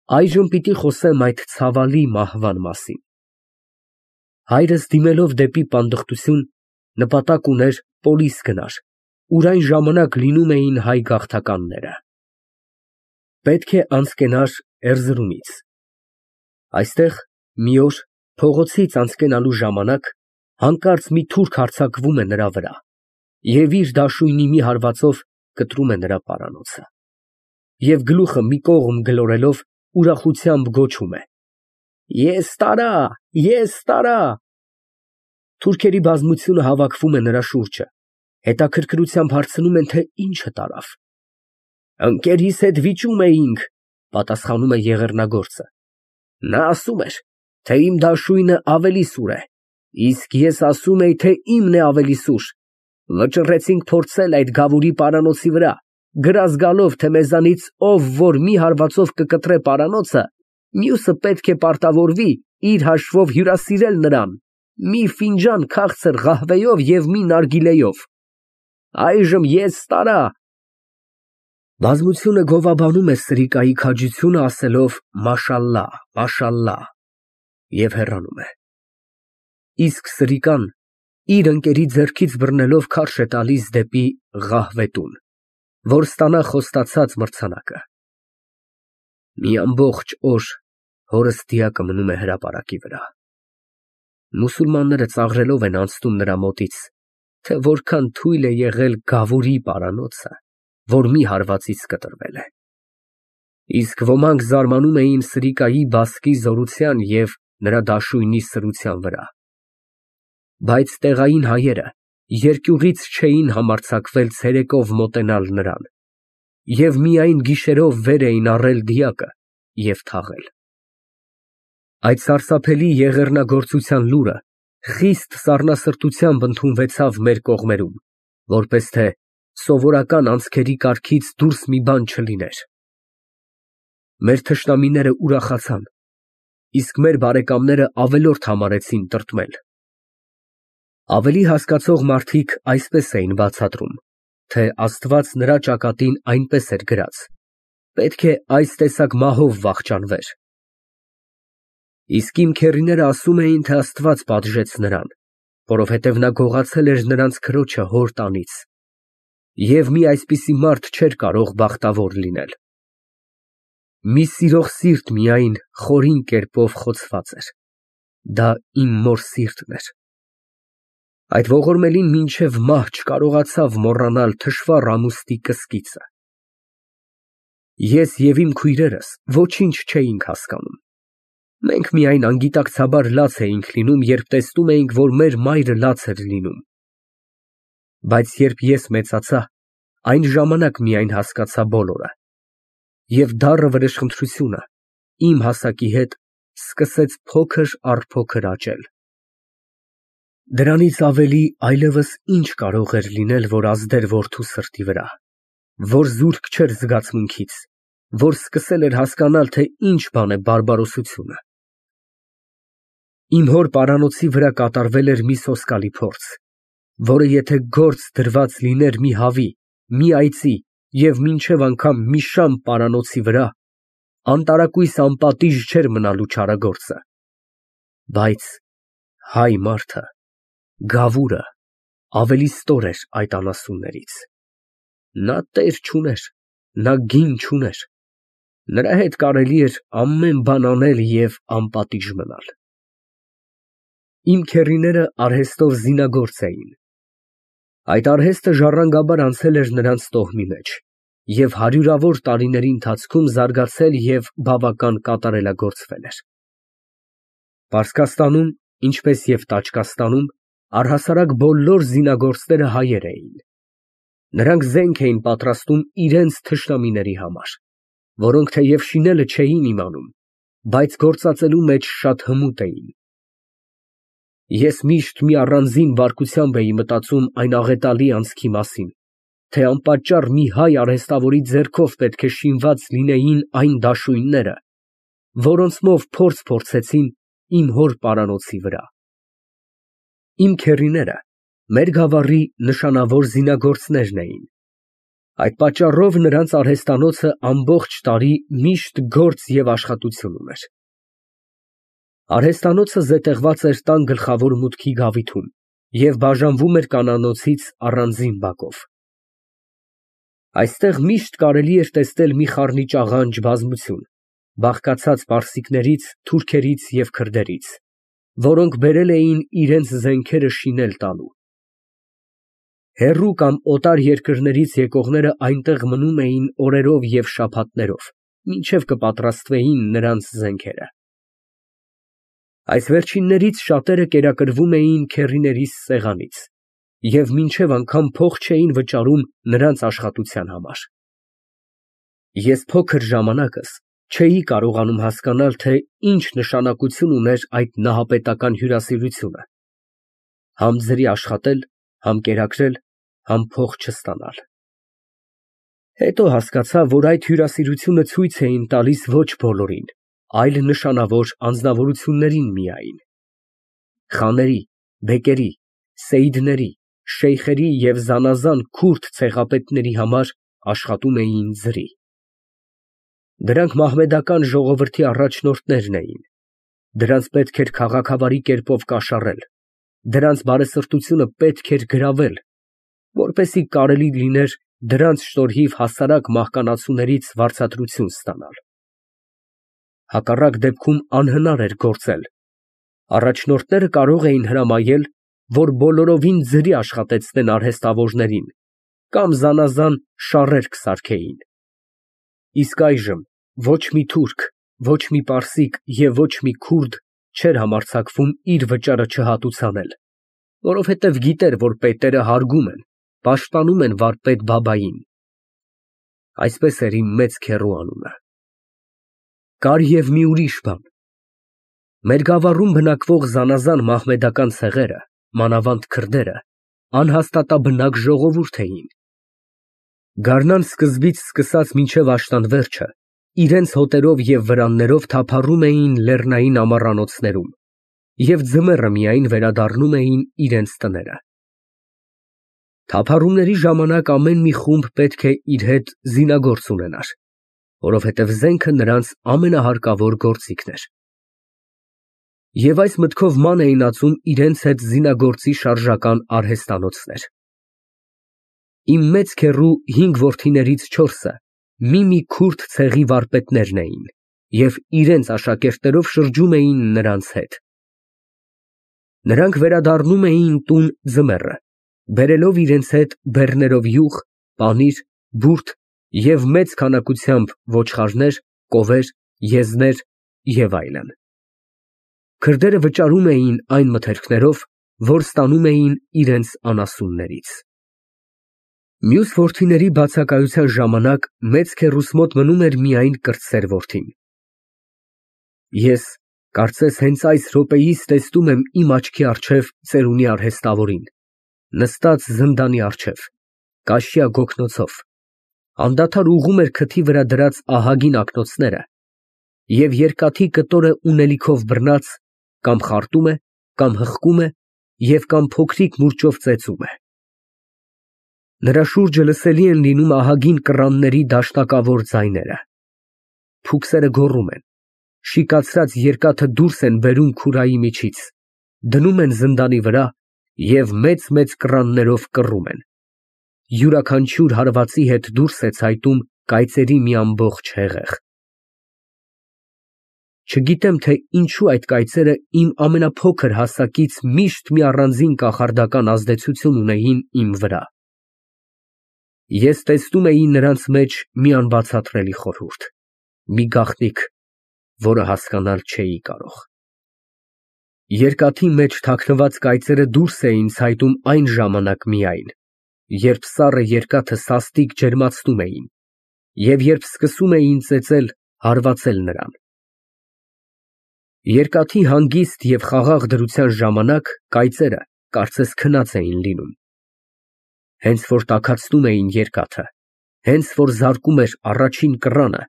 Այժմ պիտի խոսեմ այդ ցավալի մահվան մասին։ Հայրս դիմելով դեպի պանդխտություն, նպատակ ուներ Պոլիս գնար, ուր այն ժամանակ լինում էին հայ գաղթականները։ Պետք է անցկենար Էրզրումից։ Այստեղ մի օր փողոցից անցկենալու ժամանակ հանկարծ մի թուրք հարձակվում է նրա վրա և իր դաշույնի մի հարվածով կտրում է նրա պարանոցը և գլուխը մի կողմ գլորելով ուրախությամբ գոչում է. «Ես տարա, ես տարա»։ Թուրքերի բազմությունը հավաքվում է նրա շուրջը, հետաքրքրությամբ հարցնում են, թե ինչը տարավ։ «Ընկերիս հետ վիճում էինք», պատասխանում է եղեռնագործը։ Նա ասում էր, թե իմ դաշույնը ավելի սուր է, իսկ ես ասում էի, թե իմն է ավելի սուր։ Վճռեցինք փորձել այդ գավուրի պարանոցի վրա, գրազ գալով, թե մեզանից ով որ մի հարվածով կկտրե պարանոցը, մյուսը պետք է պարտավորվի իր հաշվով հյուրասիրել նրան մի ֆինջան քաղցր ղահվեյով և մի նարգիլեյով։ Այժմ ես տարա։ Բազմությունը գովաբանում է սրիկայի քաջությունը, ասելով մաշալլահ, մաշալլահ և հեռանում է։ Իսկ սրիկան իր ընկերի ձեռքից բռնելով քարշ է տալիս դեպի ղահվետուն, որ ստանա խոստացած մրցանակը։ Մի ամբողջ օր հորս դիակը մնում է հրապարակի վրա։ Մուսուլմանները ծաղրելով են անցնում նրա մոտից, թե որքան թույլ է եղել գավուրի պարանոցը, որ մի հարվածից կտրվել է։ Իսկ ոմանք զարմանում էին սրիկայի բասկի զորության և նրա դաշույնի սրության վրա։ Բայց տեղային հայերը երկյուղից չէին համարձակվել ցերեկով մոտենալ նրան և միայն գիշերով վեր էին առել դիակը և թաղել։ Այդ սարսափելի եղեռնագործության լուրը խիստ սառնասրտությամբ ընդունվեցավ մեր կողմերում, որպես թե սովորական անցքերի կարգից դուրս մի բան չլիներ։ Մեր թշնամիները ուրախացան, իսկ մեր բարեկամները ավելորդ համարեցին տրտմել։ Ավելի հասկացող մարդիկ այսպես էին բացատրում, թե Աստված նրա ճակատին այնպես էր գրած. պետք է այս տեսակ մահով վախճանվեր։ Իսկ իմ քեռիները ասում էին, թե Աստված պատժեց նրան, որովհետև նա գողացել էր նրանց քրոջը հոր տանից, և մի այսպիսի մարդ չէր կարող բախտավոր լինել։ Մի սիրող սիրտ միայն խորին կերպով խոցված էր, դա իմ մոր սիրտն էր։ Այդ ողորմելին մինչև մահ չկարողացավ մոռանալ թշվառ ամուսնի կսկիծը։ Ես և իմ քույրերս ոչինչ չէինք հասկանում։ Մենք միայն անգիտակցաբար լաց էինք լինում, երբ տեսնում էինք, որ մեր մայրը լաց էր լինում։ Բայց երբ ես մեծացա, այն ժամանակ միայն հասկացա բոլորը, և դառը վրեժխնդրությունը իմ հասակի հետ սկսեց փոքր առ փոքր աճել։ Դրանից ավելի այլևս ինչ կարող էր լինել, որ ազդեր որդու սրտի վրա, որ զուրկ չէր զգացմունքից, որ սկսել էր հասկանալ, թե ինչ բան է բարբարոսությունը։ Իմ հոր պարանոցի վրա կատարվել էր մի սոսկալի փորձ, որը եթե գործ դրված լիներ մի հավի, մի այծի և մինչև անգամ մի շամ պարանոցի վրա, անտարակույս անպատիժ չէր մնալու չարագործը։ Բայց հայ մարդը, գավուրը, ավելի ստոր էր այդ անասուններից։ Նա տեր չուներ, նա գին չուներ, նրա հետ կարելի էր ամեն բան անել և անպատիժ մնալ։ Իմ քեռիները արհեստով զինագործ էին։ Այդ արհեստը ժառանգաբար անցել էր նրանց տոհմի մեջ և հարյուրավոր տարիների ընթացքում զարգացել և բավական կատարելագործվել էր։ Պարսկաստանում, ինչպես և Տաճկաստանում, առհասարակ բոլոր զինագործները հայեր էին։ Նրանք զենք էին պատրաստում իրենց թշնամիների համար, որոնք թեև շինելը չէին իմանում, բայց գործածելու մեջ շատ հմուտ էին։ Ես միշտ մի առանձին բարկությամբ էի մտածում այն աղետալի անցքի մասին, թե անպատճառ մի հայ արհեստավորի ձեռքով պետք է շինված լինեին այն դաշույնները, որոնցմով փորձ փորձեցին իմ հոր պարանոցի վրա։ Իմ քեռիները մեր գավառի նշանավոր զինագործներն էին։ Այդ պատճառով նրանց արհեստանոցը ամբողջ տարի միշտ գործ և աշխատություն ուներ։ Արհեստանոցը զետեղված էր տան գլխավոր մուտքի գավիթում և բաժանվում էր կանանոցից առանձին բակով։ Այստեղ միշտ կարելի էր տեսնել մի խառնիճաղանճ բազմություն, բաղկացած պարսիկներից, թուրքերից և քրդերից, որոնք բերել էին իրենց զենքերը շինել տալու։ Հեռու կամ օտար երկրներից եկողները այնտեղ մնում էին օրերով և շաբաթներով, մինչև կպատրաստվեին նրանց զենքերը։ Այս վերջիններից շատերը կերակրվում էին քեռիներիս սեղանից և մինչև անգամ փող չէին վճարում նրանց աշխատության համար։ Ես փոքր ժամանակս չէի կարողանում հասկանալ, թե ինչ նշանակություն ուներ այդ նահապետական հյուրասիրությունը՝ համ ձրի աշխատել, համ կերակրել, համ փող չստանալ։ Հետո հասկացա, որ այդ հյուրասիրությունը ցույց էին տալիս ոչ բոլորին, այլ նշանավոր անձնավորություններին միայն։ Խաների, բեկերի, սեյդների, շեյխերի և զանազան քուրդ ցեղապետների համար աշխատում էին ձրի։ Դրանք մահմեդական ժողովրդի առաջնորդներն էին։ Դրանց պետք էր քաղաքավարի կերպով կաշառել, դրանց բարեսրտությունը պետք էր գրավել, որպեսզի կարելի լիներ դրանց շնորհիվ հասարակ մահկանացուներից վարձատրություն ստանալ։ Հակառակ դեպքում անհնար էր գործել։ Առաջնորդները կարող էին հրամայել, որ բոլորովին ձրի աշխատեցնեն արհեստավորներին կամ զանազան շառեր կսարքեին։ Իսկ այժմ ոչ մի թուրք, ոչ մի պարսիկ և ոչ մի քուրդ չէր համարձակվում իր վճարը չհատուցանել, որովհետև գիտեր, որ պետերը հարգում են, պաշտպանում են վարպետ բաբային։ Այսպես էր իմ մեծ քեռու անունը։ Կար և մի ուրիշ բան. մեր գավառում բնակվող զանազան մահմեդական ցեղերը, մանավանդ քրդերը, անհաստատաբնակ ժողովուրդ էին։ Գարնան սկզբից սկսած մինչև աշնան վերջը իրենց հոտերով և վրաններով թափառում էին լեռնային ամառանոցներում և ձմեռը միայն վերադառնում էին իրենց տները։ Թափառումների ժամանակ ամեն մի խումբ պետք է իր հետ զինագործ ունենար, որովհետև զենքը նրանց ամենահարկավոր գործիքն էր։ Եվ այս մտքով ման էին ածում իրենց հետ զինագործի շարժական արհեստանոցներ։ Իմ մեծ քեռու 5 որդիներից 4-ը մի քուրդ ցեղի վարպետներն էին և իրենց աշակերտներով շրջում էին նրանց հետ։ Նրանք վերադառնում էին տուն ձմեռը, բերելով իրենց հետ բեռներով յուղ, պանիր, բուրդ և մեծ քանակությամբ ոչխարներ, կովեր, եզներ և այլն։ Քրդերը վճարում էին այն մթերքներով, որ ստանում էին իրենց անասուններից։ Մյուս որդիների բացակայության ժամանակ մեծ քեռուս մոտ մնում էր միայն կրտսեր որդին։ Ես կարծես հենց այս րոպեիս տեսնում եմ իմ աչքի առջև ծերունի արհեստավորին, նստած զնդանի առջև, կաշյա գոգնոցով, անդադար ուղղում էր քթի վրա դրած ահագին ակնոցները և երկաթի կտորը ունելիքով բռնած կամ խարտում է, կամ հղկում է և կամ փոքրիկ մուրճով ծեծում է։ Նրա շուրջը լսելի են լինում ահագին կռանների դաշնակավոր ձայները։ Փուքսերը գոռում են, շիկացրած երկաթը դուրս են բերում քուրայի միջից, դնում են զնդանի վրա և մեծ կռաններով կռում են։ Յուրաքանչյուր հարվածի հետ դուրս է ցայտում կայծերի մի ամբողջ հեղեղ։ Չգիտեմ, թե ինչու այդ կայծերը իմ ամենափոքր հասակից միշտ մի առանձին կախարդական ազդեցություն ունեին իմ վրա։ Ես տեսնում էի նրանց մեջ մի անբացատրելի խորհուրդ, մի գաղտնիք, որը հասկանալ չէի կարող։ Երկաթի մեջ թաքնված կայծերը դուրս էին ցայտում այն ժամանակ միայն, երբ սառը երկաթը սաստիկ ջերմացնում էին և երբ սկսում էին ծեծել, հարվածել նրան։ Երկաթի հանգիստ և խաղաղ դրության ժամանակ կայծերը կարծես քնած էին լինում։ Հենց որ տաքացնում էին երկաթը, հենց որ զարկում էր առաջին կռանը,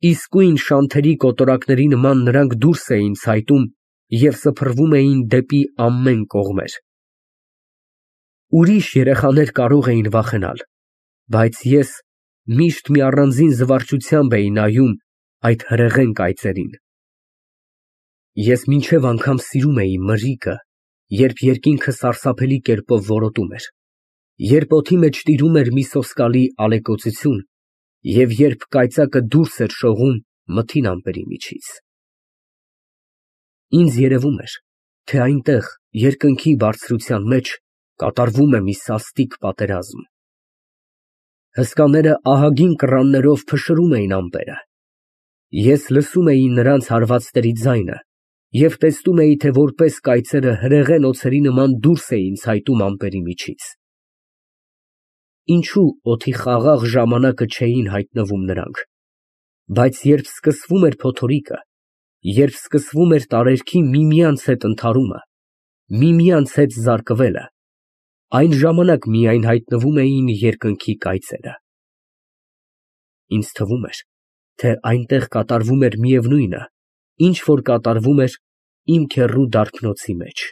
իսկույն շանթերի կոտորակների նման նրանք դուրս էին ցայտում և սփռվում էին դեպի ամեն կողմեր։ Ուրիշ երեխաներ կարող էին վախենալ, Բայց ես միշտ մի առանձին զվարճությամբ էի նայում այդ հրեղեն կայծերին։ Ես մինչև անգամ սիրում էի մրրիկը, երբ երկինքը սարսափելի կերպով որոտում էր, երբ օդի մեջ տիրում էր մի սոսկալի ալեկոծություն և երբ կայծակը դուրս էր շողում մթին ամպերի միջից։ Ինձ երևում էր, թե այնտեղ, երկնքի բարձրության մեջ, կատարվում է մի սաստիկ պատերազմ։ Հսկաները ահագին կռաններով փշրում էին ամպերը։ Ես լսում էի նրանց հարվածների ձայնը և տեսնում էի, թե որպես կայծերը հրեղեն օձերի նման դուրս էին ցայտում ամպերի միջից։ Ինչո՞ւ օդի խաղաղ ժամանակը չէին հայտնվում նրանք, բայց երբ սկսվում էր փոթորիկը, երբ սկսվում էր տարերքի միմյանց հետ ընդհարումը, միմյանց հետ զարկվելը, այն ժամանակ միայն հայտնվում էին երկնքի կայծերը։ Ինձ թվում էր, թե այնտեղ կատարվում էր միևնույնը, ինչ որ կատարվում էր իմ քեռու դարբնոցի մեջ։